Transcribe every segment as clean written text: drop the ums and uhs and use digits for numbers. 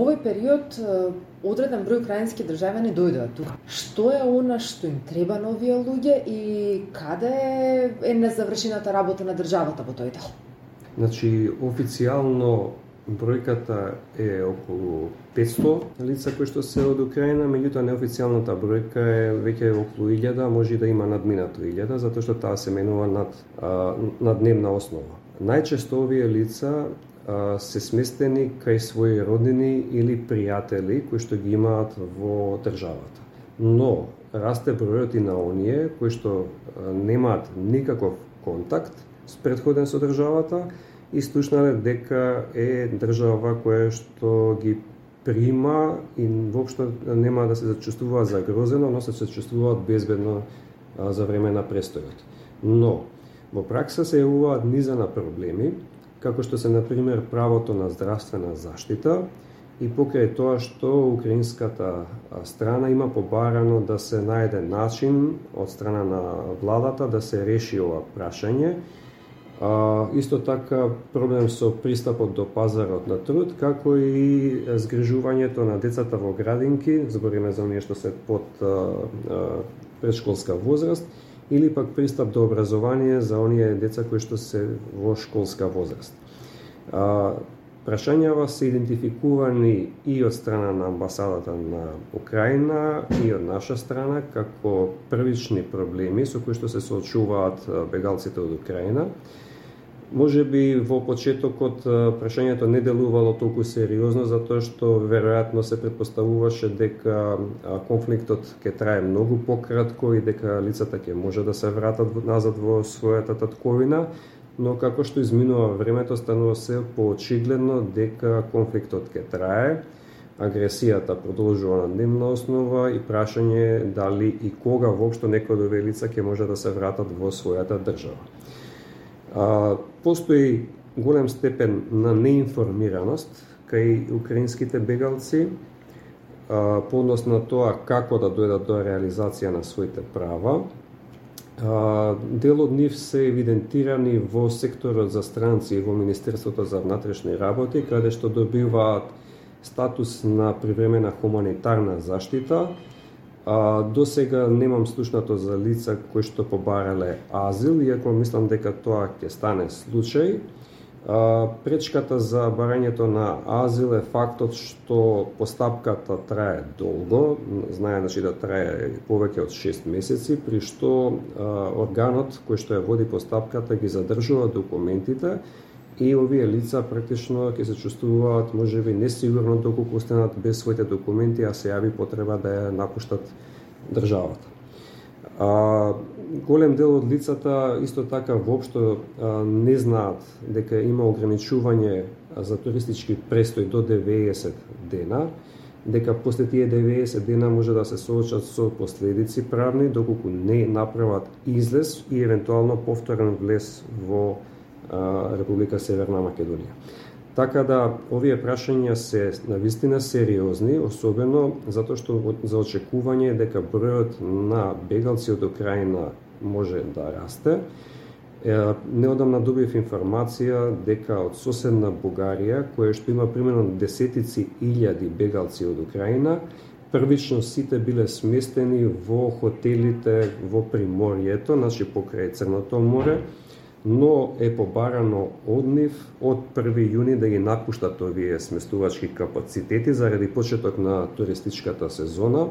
овој период одреден број украински државјани дојдоа тука. Што е она што им треба на овие луѓе и каде е незавршената работа на државата во тој дел? Значи, официјално бројката е околу 500 лица кои што се од Украина, меѓутоа неофицијалната бројка е веќе околу 1000, може и да има надминато 1000, затоа што таа се менува на дневна основа. Најчесто овие лица се сместени кај своји роднини или пријатели кои што ги имаат во државата. Но расте бројот и на оние кои што немаат никаков контакт с претходен со државата и слушнале дека е држава која што ги прима и воопшто нема да се зачувствуваат загрозено, но се чувствуваат безбедно за време на престојот. Но во пракса се јавуваат низа на проблеми, како што се, например, правото на здравствена заштита и покрај тоа што украинската страна има побарано да се најде начин од страна на владата да се реши ова прашање. Исто така проблем со пристапот до пазарот на труд, како и згрижувањето на децата во градинки, збориме за оние што се под предшколска возраст, или пак пристап до образование за оние деца кои што се во школска возраст. Прашањава се идентификувани и од страна на амбасадата на Украина и од наша страна како првични проблеми со кои што се соочуваат бегалците од Украина. Може би во почетокот прашањето не делувало толку сериозно, затоа што веројатно се претпоставуваше дека конфликтот ќе трае многу пократко и дека лицата ќе може да се вратат назад во својата татковина, но како што изминува времето станува се поочигледно дека конфликтот ќе трае, агресијата продолжува на дневна основа и прашање дали и кога воопшто некој од овие лица ќе може да се вратат во својата држава. Постои голем степен на неинформираност кај украинските бегалци по однос на тоа како да дојдат до реализација на своите права. Дел од нив се евидентирани во секторот за странци и во Министерството за внатрешни работи, каде што добиваат статус на привремена хуманитарна заштита. До сега немам слушнато за лица кои што побарале азил, иако мислам дека тоа ќе стане случај. Пречката за барањето на азил е фактот што постапката трае долго, знае да трае повеќе од 6 месеци, при што органот кој што ја води постапката ги задржува документите и овие лица практично ќе се чувствуваат можеби несигурно доколку останат без своите документи, а се јави потреба да ја напуштат државата. Голем дел од лицата исто така воопшто не знаат дека има ограничување за туристички престој до 90 дена, дека после тие 90 дена може да се соочат со последици правни доколку не направат излез и евентуално повторен влез во Република Северна Македонија. Така да, овие прашања се навистина сериозни, особено затоа што за очекување е дека бројот на бегалци од Украина може да расте. Неодамна добив информација дека од соседна Бугарија, која што има примерно десетици илјади бегалци од Украина, првично сите биле сместени во хотелите во Приморието, значи покрај Црното море, но е побарано од нив од 1 јуни да ги напуштат овие сместувачки капацитети заради почеток на туристичката сезона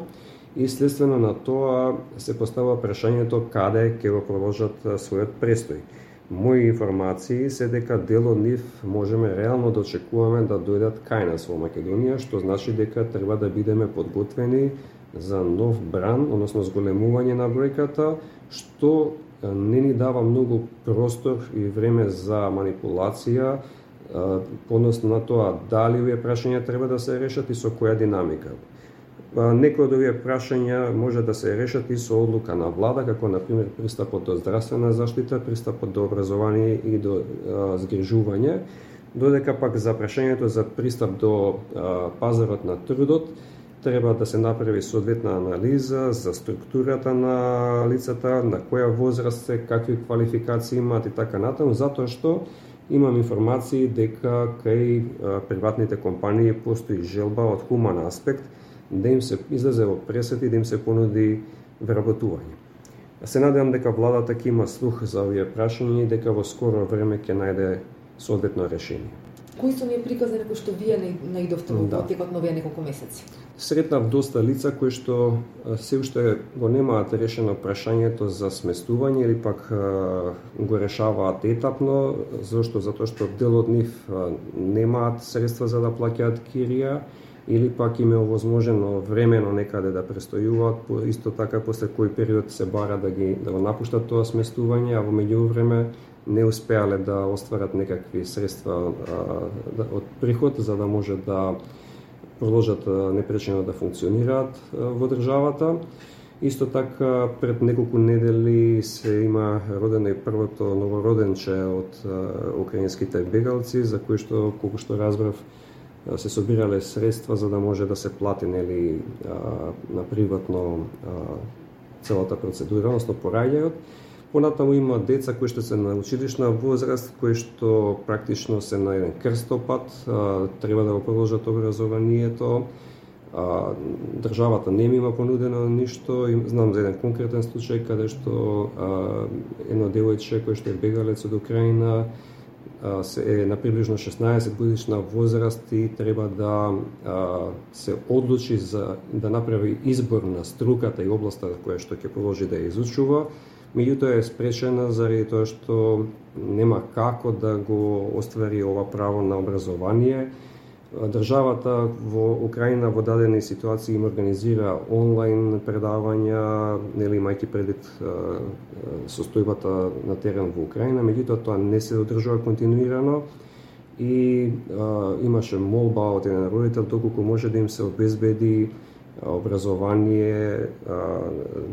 и следствено на тоа се поставува прашањето каде ќе го продолжат својот престој. Мои информации се дека дел од нив можеме реално да очекуваме да дојдат кај нас во Македонија, што значи дека треба да бидеме подготвени за нов бран, односно зголемување на бројката, што не ни дава многу простор и време за манипулација по однос на тоа дали овие прашања треба да се решат и со која динамика. Некои од овие прашања може да се решат и со одлука на влада, како например пристапот до здравствена заштита, пристапот до образование и до згрижување, додека пак за прашањето за пристап до пазарот на трудот треба да се направи соодветна анализа за структурата на лицата, на која возраст се, какви квалификации имаат и така натаму, затоа што Имам информации дека кај приватните компании постои желба од хуман аспект да им се излезе во пресет и да им се понуди вработување. Се надевам дека владата ќе има слух за овие прашања и дека во скоро време ќе најде соодветно решение. Кои се оние приказни кои што вие наидовте во потекот на овие неколку месеци? Сретнав доста лица кои што се уште го немаат решено прашањето за сместување или пак го решаваат етапно, зашто? Затоа што дел од нив немаат средства за да плаќаат кирија или пак им е овозможено времено некаде да престојуваат, исто така после кој период се бара да го напуштат тоа сместување, а во меѓувреме не успеале да остварат некакви средства од приход за да може да продолжат непречено да функционираат во државата. Исто така пред неколку недели се има родено и првото новороденче од украинските бегалци, за кои што, колку што разбрав, се собирале средства за да може да се плати на приватно целата процедура, односно пораѓајот. Понатаму има деца кои што се на училишна возраст, кои што практично се на еден крстопат, треба да го продолжат образованието. Државата не им има понудено ништо. Знам за еден конкретен случај каде што едно девојче кој што е бегалец од Украина е на приближно 16 годишна возраст и треба да се одлучи за да направи избор на струката и областа која што ќе продолжи да ја изучува. Меѓутоа е спречена заради тоа што нема како да го оствари ова право на образование. Државата во Украина во дадени ситуации им организира онлайн предавања, нели имајќи предвид состојбата на терен во Украина, меѓутоа тоа не се одржува континуирано и имаше молба од еден родител доколку може да им се обезбеди образование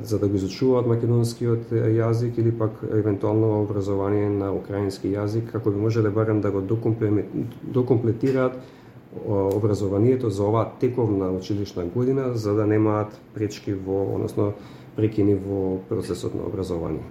за да го изучуваат македонскиот јазик или пак евентуално образование на украински јазик, како би можеле барем да го докомплетираат образованието за оваа тековна училишна година, за да немаат пречки односно прекини во процесот на образование.